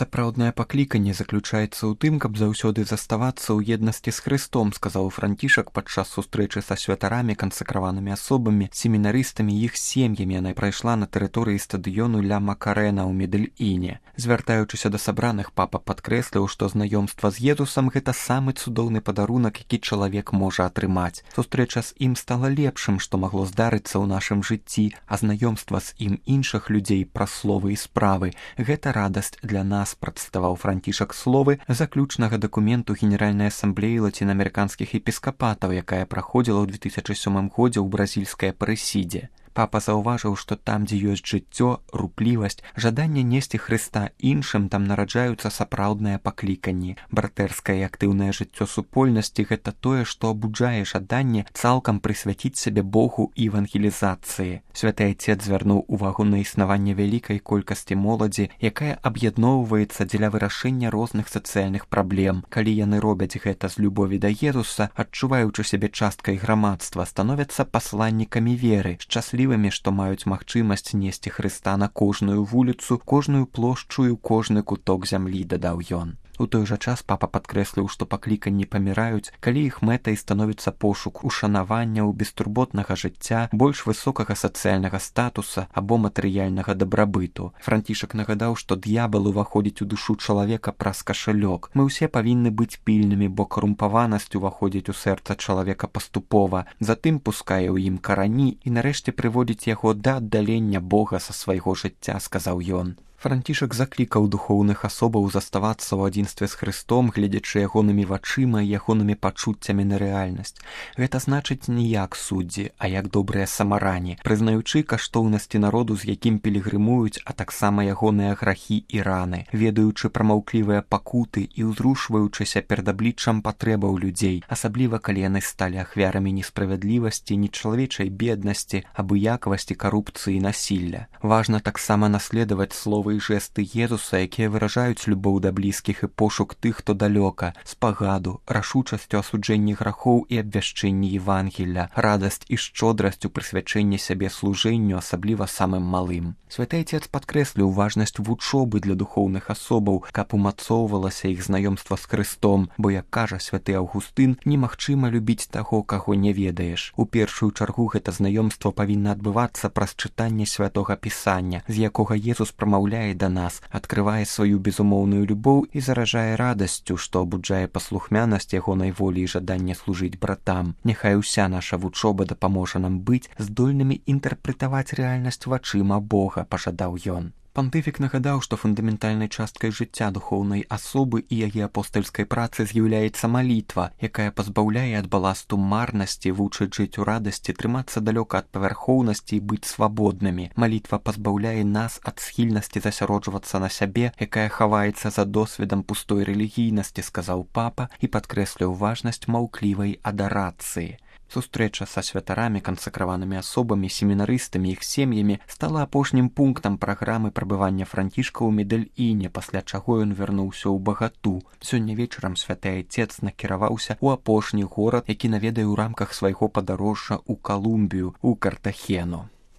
Сапраўднае пакліканне заключаецца ў тым, каб заўсёды заставацца ў еднасці з Хрыстом, сказаў Францішак падчас сустрэчы са святарамі, кансакраванымі асобамі, семінарыстамі і іх сем'ямі. Яна прайшла на тэрыторыі стадыёну Ля Макарэна ў Медэльіне. Звяртаючыся да сабраных, папа падкрэсліў, што знаёмства з Езусам гэта самы цудоўны падарунак, які чалавек можа атрымаць. Сустрэча з ім стала лепшым, што магло здарыцца ў нашым жыцці, а знаёмства з ім іншых людзей праз словы і справы гэта радасць для нас, прадставаў Францішак словы заключнага дакументу Генеральнай асамблеі лацінаамерыканскіх епіскапатаў, якая праходзіла ў 2007 годзе ў бразільскай Апарэсідзе. Папа заўважыў, што там, дзе ёсць жыццё, руплівасць, жаданне несці Хрыста іншым, там нараджаюцца сапраўдныя пакліканні. Братэрскае і актыўнае жыццё супольнасці – гэта тое, што абуджае жаданне цалкам прысвяціць сябе Богу і евангелізацыі. Святы Айцец звярнуў увагу на існаванне вялікай колькасці моладзі, якая аб'ядноўваецца дзеля вырашэння розных сацыяльных праблем. Калі яны робяць гэта з любові да Езуса, адчуваючы сябе часткай грамадства, становяцца пасланнікамі веры, шчаслівымі, што маюць магчымасць несці Хрыста на кожную вуліцу, кожную плошчу і кожны куток зямлі, дадаў ён. У той жа час папа падкрэсліў, што пакліканні паміраюць, калі іх мэтай становіцца пошук ушанаванняў, бестурботнага жыцця, больш высокага сацыяльнага статуса або матэрыяльнага дабрабыту. Францішак нагадаў, што д'ябал уваходзіць у душу чалавека праз кашалёк. Мы ўсе павінны быць пільнымі, бо карумпаванасць уваходзіць у сэрца чалавека паступова, затым пускае ў ім карані і нарэшце прыводзіць яго да аддалення Бога са свайго жыцця, сказаў ён. Францішак заклікаў духоўных асобаў заставацца ў адзінстве з Хрыстом, гледзячы ягонымі вачыма і ягонымі пачуццямі на рэальнасць. Гэта значыць не як суддзі, а як добрыя самарані, прызнаючы каштоўнасці народу, з якім пілігрымуюць, а таксама ягоныя грахі і раны, ведаючы пра маўклівыя пакуты і ўзрушваючыся перад абліччам патрэбаў людзей, асабліва калі яны сталі ахвярамі несправядлівасці, нечалавечай беднасці, абыякавасці, карупцыі і насілля. Важна таксама наследаваць словы і жэсты Езуса, якія выражаюць любоў да блізкіх і пошук тых, хто далёка, спагаду, рашучасцю асуджэнні грахоў і абвяшчэнні Евангелля, радасць і шчодрасць у прысвячэнні сябе служэнню, асабліва самым малым. Святы Айцец падкрэсліў важнасць вучобы для духоўных асобаў, каб умацоўвалася іх знаёмства з Хрыстом, бо, як кажа святы Аўгустын, немагчыма любіць таго, каго не ведаеш. У першую чаргу гэта знаёмства павінна адбывацца праз чытанне святога Пісання, з якога Езус прамаўляе да нас, адкрывае сваю безумоўную любоў і заражае радасцю, што абуджае паслухмянасць ягонай волі і жаданне служыць братам. Няхай уся наша вучоба дапаможа нам быць здольнымі інтэрпрэтаваць рэальнасць вачыма Бога, пажадаў ён. Пантыфік нагадаў, што фундаментальнай часткай жыцця духоўнай асобы і яе апостальскай працы з'яўляецца малітва, якая пазбаўляе ад баласту марнасці, вучыць жыць у радасці, трымацца далёка ад павярхоўнасці і быць свабоднымі. Малітва пазбаўляе нас ад схільнасці засяроджвацца на сябе, якая хаваецца за досведам пустой рэлігійнасці, сказаў папа і падкрэсліў важнасць маўклівай адарацыі. Сустрэча са святарамі, кансакраванымі асобамі, семінарыстамі, іх сем'ямі стала апошнім пунктам праграмы прабывання Францішка ў Медэльіне, пасля чаго ён вярнуўся ў Багату. Сёння вечарам святы Айцец накіраваўся ў апошні горад, які наведае ў рамках свайго падарожжа ў Калумбію, у Картахену.